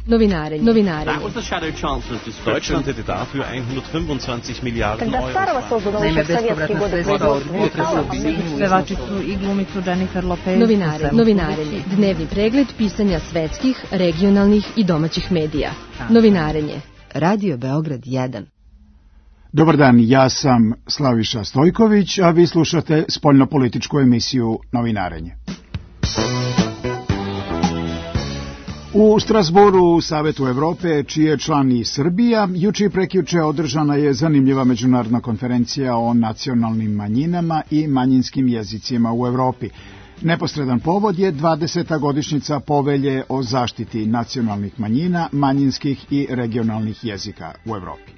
Novinarenje. Deutschland hätte dafür 125 Miliarden Euro. Naime, bespovratna sredstva od pevačicu i glumicu Jennifer Lopez. Novinarenje. Dnevni pregled pisanja svetskih, regionalnih i domaćih medija. Novinarenje. Radio Beograd 1. Dobar dan, ja sam Slaviša Stojković, a vi slušate spoljnopolitičku emisiju Novinarenje. U Strasbourgu u Savetu Evrope, čiji je član i Srbija, juče i prekjuče održana je zanimljiva međunarodna konferencija o nacionalnim manjinama i manjinskim jezicima u Evropi. Neposredan povod je 20. godišnjica Povelje o zaštiti nacionalnih manjina, manjinskih i regionalnih jezika u Evropi.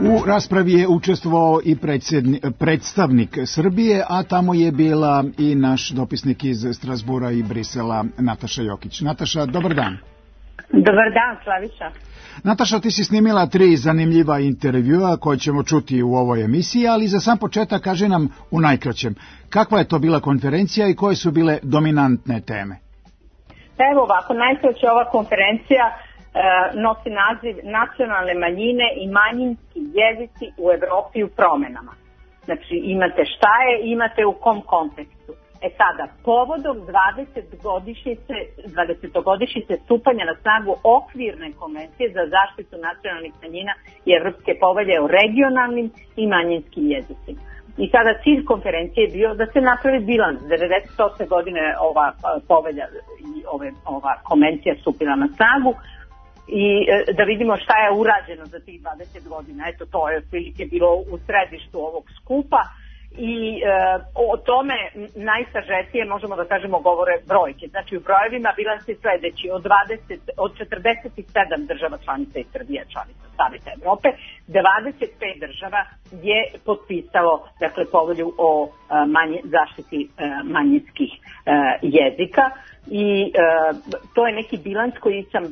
U raspravi je učestvovao i predstavnik Srbije, a tamo je bila i naš dopisnik iz Strasbura i Brisela, Nataša Jokić. Nataša, dobar dan. Dobar dan, Slaviša. Nataša, ti si snimila 3 zanimljiva intervjua koje ćemo čuti u ovoj emisiji, ali za sam početak kaži nam u najkraćem, kakva je to bila konferencija i koje su bile dominantne teme? Evo ovako, najkraće ova konferencija nosi naziv Nacionalne manjine i manjinski jezici u Evropi u promenama. Znači imate šta je, imate u kom kontekstu. Sada, povodom 20-godišnjice stupanja na snagu okvirne konvencije za zaštitu nacionalnih manjina i Evropske povelje o regionalnim i manjinskim jezicima. I sada cilj konferencije je bio da se napravi bilans. 98. godine ova povelja i ova konvencija stupila na snagu i da vidimo šta je urađeno za tih 20 godina. Eto, to je otprilike bilo u središtu ovog skupa i o tome najsažetije možemo da kažemo govore brojke. Znači u brojevima bilans je sledeći: od 47 država članica i Srbija članica Saveta Evrope, 25 država je potpisalo povelju o zaštiti manjinskih jezika. I to je neki bilans koji sam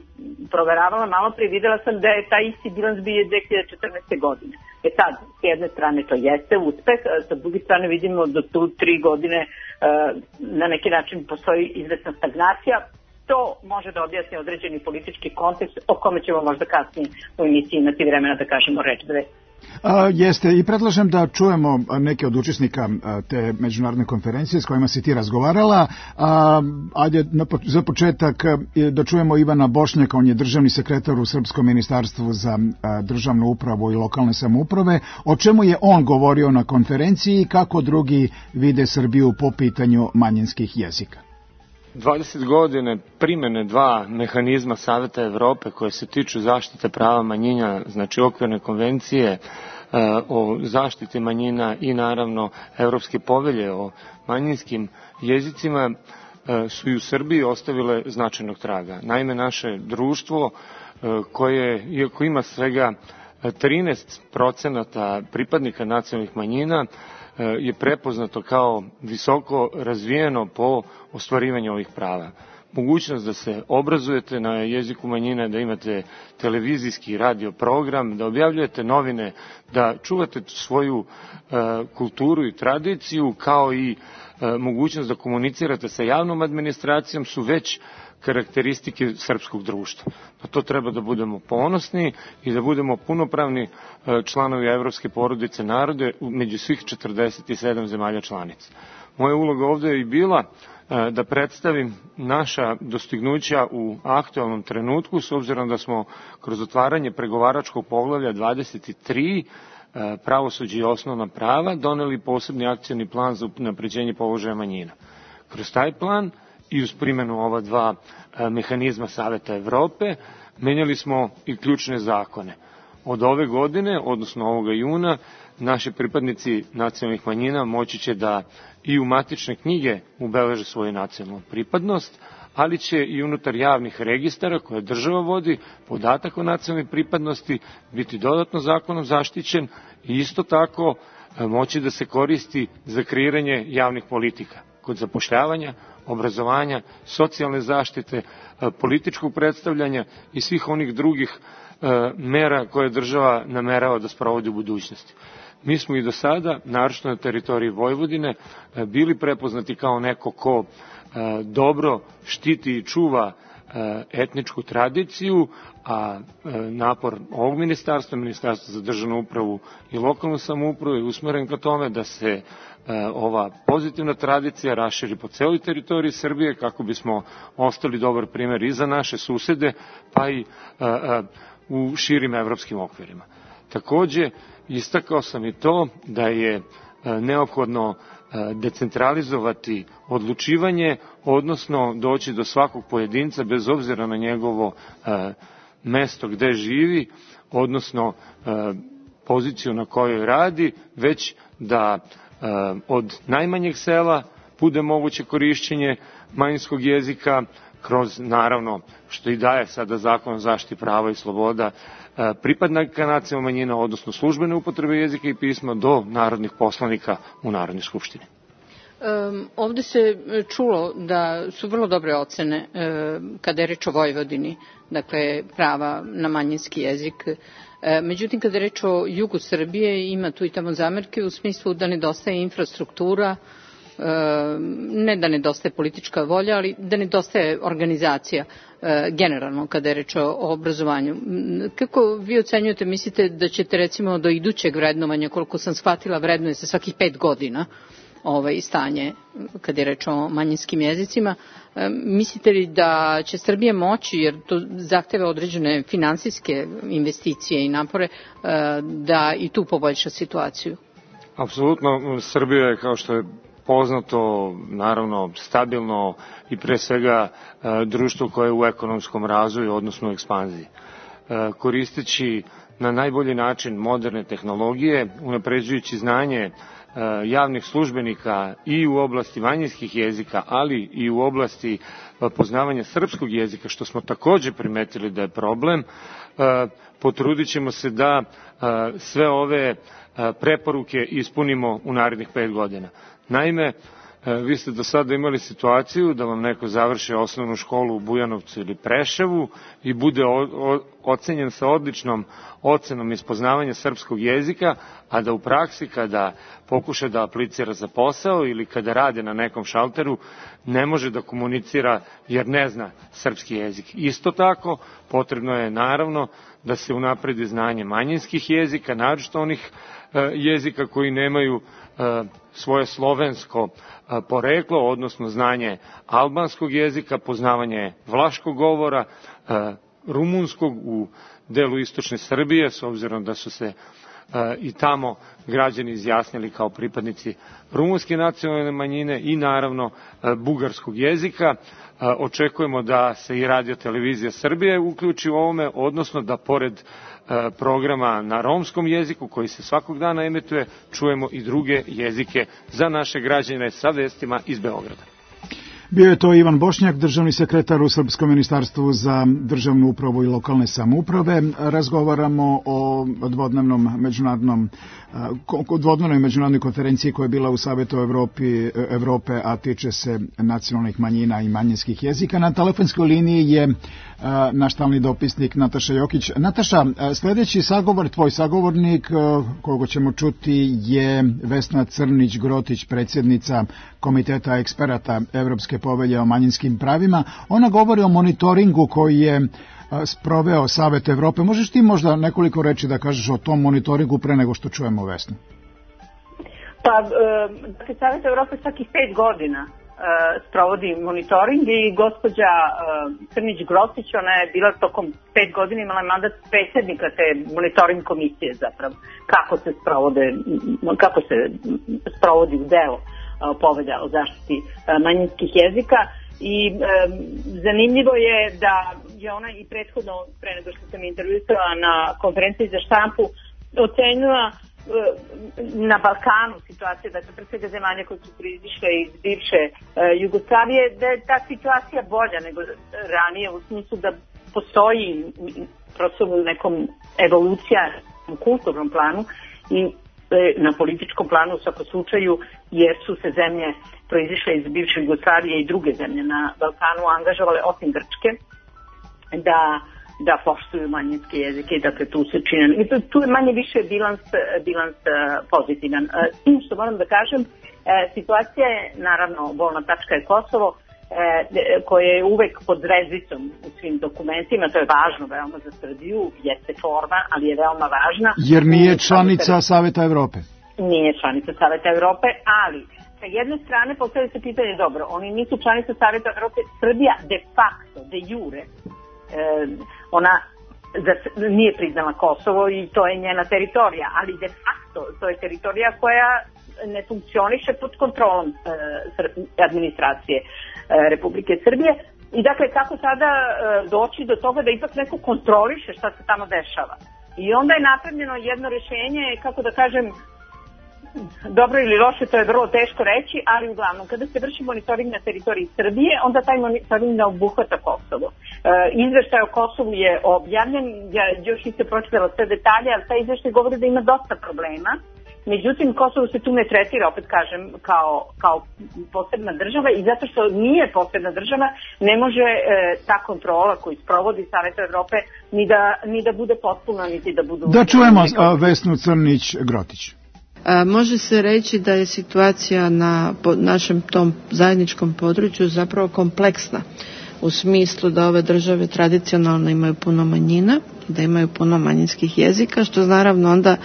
proveravala malo prije, videla sam da je taj isti bilans bio 2014. godine. Sad, s jedne strane to jeste uspeh, sa druge strane vidimo da tu 3 godine na neki način postoji izvesna stagnacija. To može da objasni određeni politički kontekst o kome ćemo možda kasnije u emisiji imati vremena da kažemo reč dve. Jeste, i predlažem da čujemo neke od učesnika te međunarodne konferencije s kojima si ti razgovarala. Ajde za početak da čujemo Ivana Bošnjaka, on je državni sekretar u Srpskom ministarstvu za državnu upravu i lokalne samouprave. O čemu je on govorio na konferenciji i kako drugi vide Srbiju po pitanju manjinskih jezika? 20 godine primene 2 mehanizma Saveta Evrope koje se tiču zaštite prava manjina, znači okvirne konvencije o zaštiti manjina i naravno Evropske povelje o manjinskim jezicima su i u Srbiji ostavile značajnog traga. Naime, naše društvo koje, iako ima svega 13% pripadnika nacionalnih manjina, je prepoznato kao visoko razvijeno po ostvarivanju ovih prava. Mogućnost da se obrazujete na jeziku manjina, da imate televizijski radio program, da objavljujete novine, da čuvate svoju kulturu i tradiciju, kao i mogućnost da komunicirate sa javnom administracijom su već karakteristike srpskog društva. Na to treba da budemo ponosni i da budemo punopravni članovi Evropske porodice narode među svih 47 zemalja članica. Moja uloga ovde je i bila da predstavim naša dostignuća u aktualnom trenutku, s obzirom da smo kroz otvaranje pregovaračkog poglavlja 23 pravosuđe i osnovna prava doneli posebni akcioni plan za unapređenje položaja manjina. Kroz taj plan i uz primjenu ova 2 mehanizma Saveta Evrope menjali smo i ključne zakone. Od ove godine, odnosno ovoga juna, naši pripadnici nacionalnih manjina moći će da i u matične knjige ubeleže svoju nacionalnu pripadnost, ali će i unutar javnih registara koje država vodi podatak o nacionalnoj pripadnosti biti dodatno zakonom zaštićen i isto tako moći da se koristi za kreiranje javnih politika kod zapošljavanja, obrazovanja, socijalne zaštite, političkog predstavljanja i svih onih drugih mera koje država namerava da sprovodi u budućnosti. Mi smo i do sada, naročito na teritoriji Vojvodine, bili prepoznati kao neko ko dobro štiti i čuva etničku tradiciju, a napor ovog Ministarstva za državnu upravu i lokalnu samoupravu je usmeren ka tome da se ova pozitivna tradicija raširi po celoj teritoriji Srbije kako bismo ostali dobar primer i za naše susede, pa i u širim evropskim okvirima. Takođe, istakao sam i to da je neophodno decentralizovati odlučivanje, odnosno doći do svakog pojedinca bez obzira na njegovo mesto gde živi, odnosno poziciju na kojoj radi, već da od najmanjeg sela bude moguće korišćenje manjinskog jezika kroz, naravno, što i daje sada Zakon o zaštiti prava i sloboda pripadnika nacionalne manjine, odnosno službene upotrebe jezika i pisma do narodnih poslanika u Narodnoj skupštini. Ovde se čulo da su vrlo dobre ocene kada je reč o Vojvodini, dakle prava na manjinski jezik. Međutim, kada je reč o jugu Srbije, ima tu i tamo zamerke u smislu da nedostaje infrastruktura, ne da nedostaje politička volja, ali da nedostaje organizacija generalno kada je reč o obrazovanju. Kako vi ocenjujete, mislite da ćete recimo do idućeg vrednovanja, koliko sam shvatila, vrednuje se svakih 5 godina stanje kada je reč o manjinskim jezicima, mislite li da će Srbija moći, jer to zahteva određene finansijske investicije i napore, da i tu poboljša situaciju? Apsolutno, Srbija je, kao što je poznato, naravno stabilno i pre svega društvo koje je u ekonomskom razvoju, odnosno u ekspanziji. Koristeći na najbolji način moderne tehnologije, unapređujući znanje javnih službenika i u oblasti manjinskih jezika, ali i u oblasti poznavanja srpskog jezika, što smo takođe primetili da je problem, potrudit ćemo se da sve ove preporuke ispunimo u narednih 5 godina. Naime, vi ste do sada imali situaciju da vam neko završi osnovnu školu u Bujanovcu ili Preševu i bude ocenjen sa odličnom ocenom iz poznavanja srpskog jezika, a da u praksi kada pokuša da aplicira za posao ili kada radi na nekom šalteru ne može da komunicira jer ne zna srpski jezik. Isto tako, potrebno je naravno da se unapredi znanje manjinskih jezika, naročito onih jezika koji nemaju svoje slovensko poreklo, odnosno znanje albanskog jezika, poznavanje vlaškog govora, rumunskog u delu istočne Srbije, s obzirom da su se i tamo građani izjasnili kao pripadnici rumunske nacionalne manjine i naravno bugarskog jezika. Očekujemo da se i Radio Televizija Srbije uključi u ovome, odnosno da pored programa na romskom jeziku koji se svakog dana emituje, čujemo i druge jezike za naše građane sa vestima iz Beograda. Bio je to Ivan Bošnjak, državni sekretar u Srpskom ministarstvu za državnu upravu i lokalne samouprave. Razgovaramo o dvodnevnoj međunarodnoj konferenciji koja je bila u Savetu Evrope, a tiče se nacionalnih manjina i manjinskih jezika. Na telefonskoj liniji je naš stalni dopisnik Nataša Jokić. Nataša, sljedeći tvoj sagovornik, koga ćemo čuti, je Vesna Crnić-Grotić, predsjednica Komiteta eksperata Evropske povelje o manjinskim pravima. Ona govori o monitoringu koji je sproveo Savet Evrope. Možeš ti možda nekoliko reči da kažeš o tom monitoringu pre nego što čujemo Vesnu? Pa, Savet Evrope svakih 5 godina sprovodi monitoring i gospođa Crnić-Grotić, ona je bila tokom 5 godina, imala mandat predsjednika te monitoring komisije zapravo, kako se sprovodi u delo povelja o zaštiti manjinskih jezika i zanimljivo je da je ona i prethodno, pre nego što sam intervjuisala na konferenciji za štampu, ocenila na Balkanu situacija, dakle pre svega zemalja koje su proizišle iz bivše Jugoslavije, da je ta situacija bolja nego ranije u smislu da postoji prosto nekom evolucija u kulturnom planu i na političkom planu u svakom slučaju, jer su se zemlje proizišle iz bivše Jugoslavije i druge zemlje na Balkanu angažovale, osim Grčke, da da poštuju manjinske jezike i dakle tu se čine. Tu je manje više bilans pozitivan. S tim što moram da kažem, situacija je, naravno, bolna tačka je Kosovo, koje je uvek pod zvezdicom u svim dokumentima, to je važno veoma za Srbiju, jeste forma, ali je veoma važna. Jer nije članica Saveta Evrope. Nije članica Saveta Evrope, ali sa jedne strane postavlja se pitanje, dobro, oni nisu članica Saveta Evrope, Srbija de facto, de jure, ona nije priznala Kosovo i to je njena teritorija, ali de facto to je teritorija koja ne funkcioniše pod kontrolom administracije Republike Srbije. I dakle, kako sada doći do toga da ipak neko kontroliše šta se tamo dešava. I onda je napravljeno jedno rješenje, kako da kažem, dobro ili loše, to je vrlo teško reći, ali uglavnom, kada se vrši monitoring na teritoriji Srbije, onda taj monitoring ne obuhvata Kosovo. Izveštaj o Kosovu je objavljen, ja još nisam pročitala sve detalje, ali taj izveštaj govori da ima dosta problema. Međutim, Kosovo se tu ne tretira, opet kažem, kao posebna država i zato što nije posebna država, ne može ta kontrola koju sprovodi Savet Evrope ni da bude potpuna, niti da budu... Da čujemo Vesnu Crnić-Grotić. Može se reći da je situacija na našem tom zajedničkom području zapravo kompleksna u smislu da ove države tradicionalno imaju puno manjina, da imaju puno manjinskih jezika, što naravno onda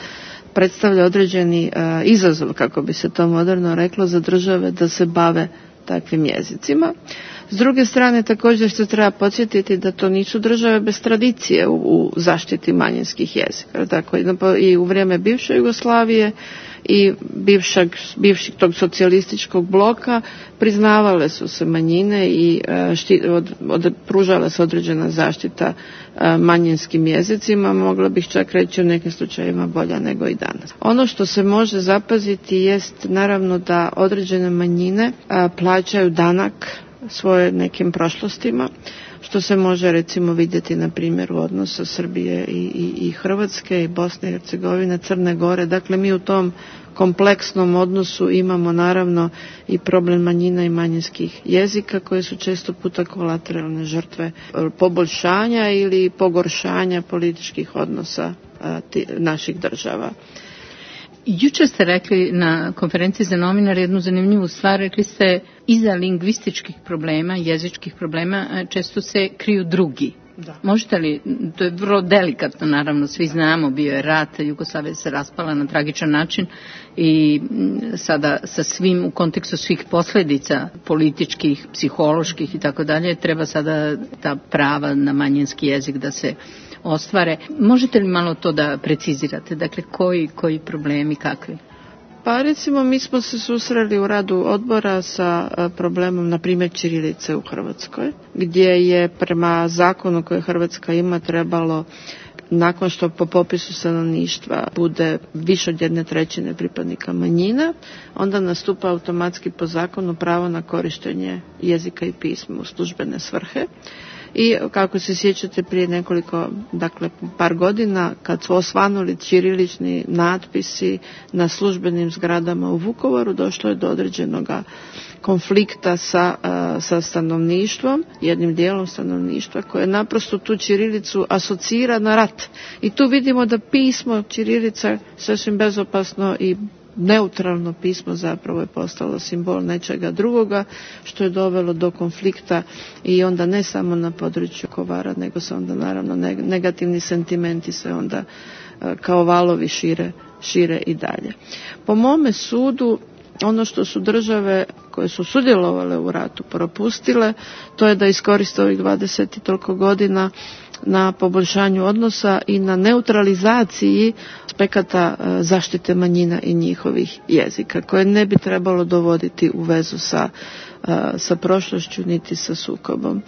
predstavlja određeni izazov, kako bi se to moderno reklo, za države da se bave takvim jezicima. S druge strane, također što treba podsjetiti da to nisu države bez tradicije u zaštiti manjinskih jezika. Tako i u vrijeme bivše Jugoslavije i bivšeg tog socijalističkog bloka priznavale su se manjine i pružala se određena zaštita manjinskim jezicima, mogla bih čak reći u nekim slučajevima bolja nego i danas. Ono što se može zapaziti jest naravno da određene manjine plaćaju danak svoje nekim prošlostima, što se može recimo vidjeti na primjeru odnosa Srbije i Hrvatske i Bosne i Hercegovine, Crne Gore. Dakle, mi u tom kompleksnom odnosu imamo naravno i problem manjina i manjinskih jezika koje su često puta kolateralne žrtve poboljšanja ili pogoršanja političkih odnosa naših država. Jučer ste rekli na konferenciji za novinare jednu zanimljivu stvar, rekli ste iza lingvističkih problema, jezičkih problema često se kriju drugi. Da. Možete li, to je vrlo delikatno, naravno, svi znamo, bio je rat, Jugoslavija se raspala na tragičan način i sada sa svim, u kontekstu svih posljedica političkih, psiholoških i tako dalje, treba sada ta prava na manjinski jezik da se ostvare. Možete li malo to da precizirate? Dakle, koji problemi, kakvi? Pa recimo mi smo se susreli u radu odbora sa problemom na primjer ćirilice u Hrvatskoj, gdje je prema zakonu koje Hrvatska ima trebalo, nakon što po popisu stanovništva bude više od 1/3 pripadnika manjina, onda nastupa automatski po zakonu pravo na korištenje jezika i pisma u službene svrhe. I kako se sjećate prije par godina, kad su osvanuli ćirilični natpisi na službenim zgradama u Vukovaru, došlo je do određenog konflikta sa stanovništvom, jednim dijelom stanovništva, koje naprosto tu ćirilicu asocira na rat. I tu vidimo da pismo ćirilica sasvim bezopasno i neutralno pismo zapravo je postalo simbol nečega drugoga, što je dovelo do konflikta i onda ne samo na području Vukovara, nego se onda naravno negativni sentimenti se onda kao valovi šire i dalje. Po mome sudu, ono što su države koje su sudjelovale u ratu propustile, to je da iskoriste ovih 20 i toliko godina na poboljšanju odnosa i na neutralizaciji aspekata zaštite manjina i njihovih jezika, koje ne bi trebalo dovoditi u vezu sa prošlošću niti sa sukobom.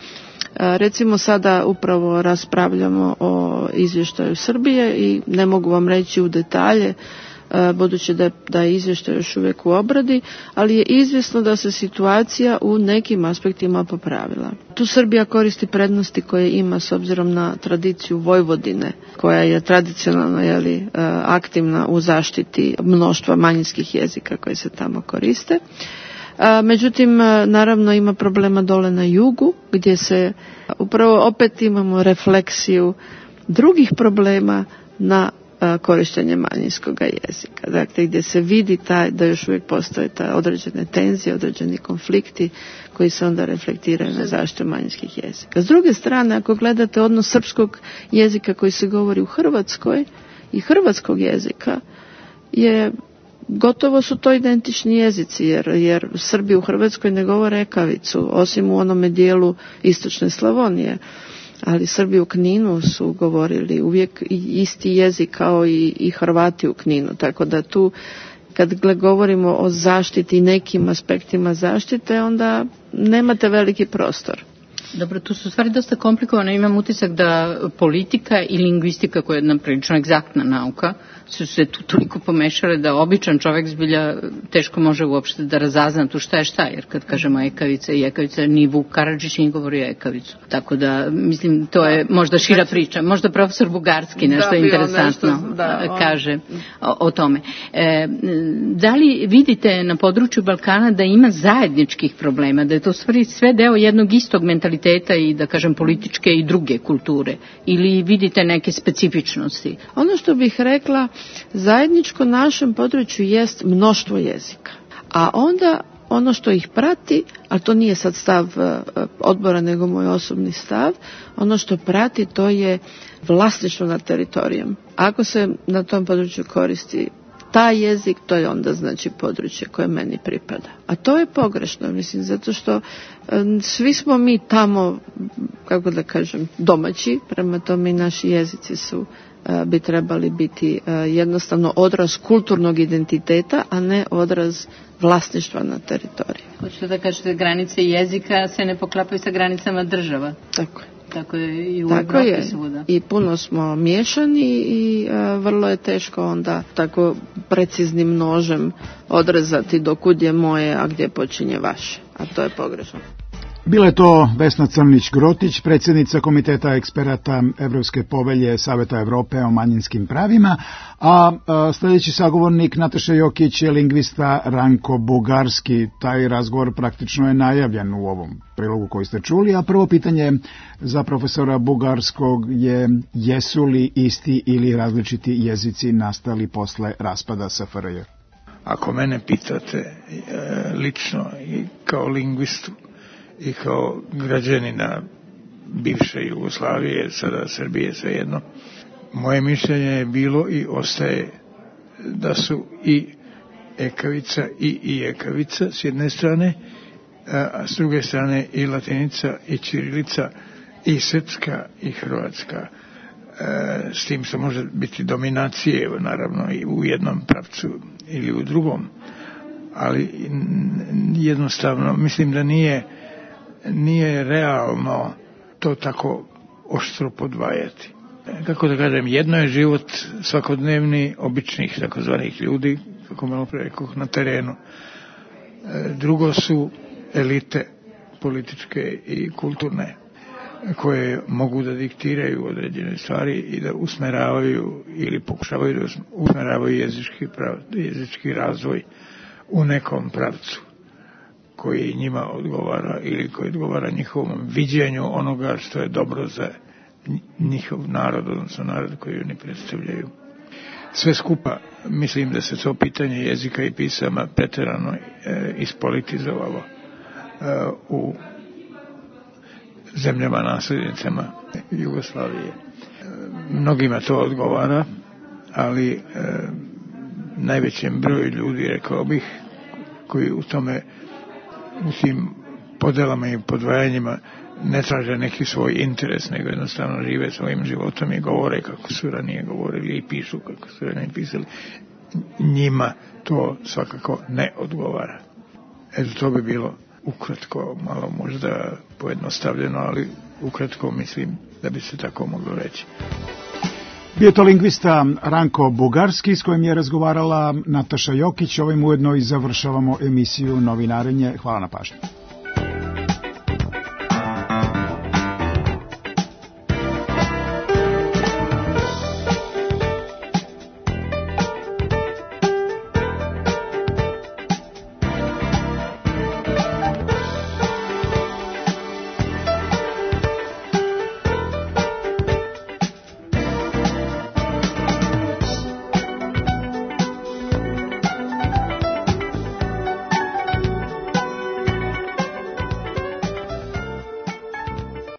Recimo sada upravo raspravljamo o izvještaju Srbije i ne mogu vam reći u detalje, budući da je izvještaj još uvijek u obradi, ali je izvjesno da se situacija u nekim aspektima popravila. Tu Srbija koristi prednosti koje ima s obzirom na tradiciju Vojvodine, koja je tradicionalno aktivna u zaštiti mnoštva manjinskih jezika koje se tamo koriste. Međutim, naravno ima problema dole na jugu, gdje se upravo opet imamo refleksiju drugih problema na korištenje manjinskog jezika. Dakle, gdje se vidi da još uvijek postoje određene tenzije, određeni konflikti koji se onda reflektiraju na zaštitu manjinskih jezika. S druge strane, ako gledate odnos srpskog jezika koji se govori u Hrvatskoj i hrvatskog jezika, gotovo su to identični jezici, jer Srbi u Hrvatskoj ne govore ekavicu, osim u onome dijelu istočne Slavonije. Ali Srbi u Kninu su govorili uvijek isti jezik kao i Hrvati u Kninu. Tako da tu, kad govorimo o zaštiti i nekim aspektima zaštite, onda nemate veliki prostor. Dobro, tu su stvari dosta komplikovane. Imam utisak da politika i lingvistika, koja je jedna prilično egzaktna nauka, su se tu toliko pomešale da običan čovjek zbilja teško može uopšte da razazna tu šta je šta, jer kad kažemo ekavica i ekavica, ni Vuk Karadžić nije govorio ekavicu. Tako da, mislim, to je možda šira priča. Možda profesor Bugarski nešto interesantno kaže o tome. Da li vidite na području Balkana da ima zajedničkih problema, da je to stvari sve deo jednog istog mentaliteta i, da kažem, političke i druge kulture? Ili vidite neke specifičnosti? Ono što bih rekla, zajedničko našem području jest mnoštvo jezika. A onda ono što ih prati, a to nije sad stav odbora nego moj osobni stav, ono što prati to je vlasništvo nad teritorijom. Ako se na tom području koristi taj jezik, to je onda znači područje koje meni pripada. A to je pogrešno, mislim, zato što svi smo mi tamo, kako da kažem, domaći, prema tome i naši jezici bi trebali biti jednostavno odraz kulturnog identiteta, a ne odraz vlasništva na teritoriju. Hoćete da kažete, granice jezika se ne poklapaju sa granicama država? Tako je. Tako je i u Evropi svuda. I puno smo miješani i vrlo je teško onda tako preciznim nožem odrezati dokud je moje, a gdje počinje vaše. A to je pogrešno. Bila je to Vesna Crnić-Grotić, predsjednica Komiteta eksperata Evropske povelje Saveta Evrope o manjinskim pravima, a sljedeći sagovornik Nataša Jokić je lingvista Ranko Bugarski. Taj razgovor praktično je najavljen u ovom prilogu koji ste čuli, a prvo pitanje za profesora Bugarskog je: jesu li isti ili različiti jezici nastali posle raspada SFRJ? Ako mene pitate lično i kao lingvistu i kao građanina bivše Jugoslavije, sada Srbije, svejedno, moje mišljenje je bilo i ostaje da su i ekavica i ekavica s jedne strane, a s druge strane i latinica i ćirilica i srpska i hrvatska, s tim što može biti dominacije naravno i u jednom pravcu ili u drugom, ali jednostavno mislim da nije realno to tako oštro podvajati. Kako da kažem, jedno je život svakodnevni običnih takozvanih ljudi, kako malo pre rekoh, na terenu. Drugo su elite političke i kulturne, koje mogu da diktiraju određene stvari i da usmeravaju ili pokušavaju da usmeravaju jezički razvoj u nekom pravcu koji njima odgovara ili koji odgovara njihovom viđenju onoga što je dobro za njihov narod, odnosno narod koji oni predstavljaju. Sve skupa mislim da se to pitanje jezika i pisama preterano ispolitizovalo u zemljama nasljednicama Jugoslavije. Mnogima to odgovara, ali najvećem broju ljudi, rekao bih, koji u tome, u tim podelama i podvajanjima ne traže neki svoj interes, nego jednostavno žive svojim životom i govore kako su ranije govorili i pišu kako su ranije pisali. Njima to svakako ne odgovara. Eto, to bi bilo ukratko, malo možda pojednostavljeno, ali ukratko mislim da bi se tako moglo reći. Bio to lingvista Ranko Bugarski s kojim je razgovarala Nataša Jokić. Ovim ujedno i završavamo emisiju Novinarenje. Hvala na pažnju.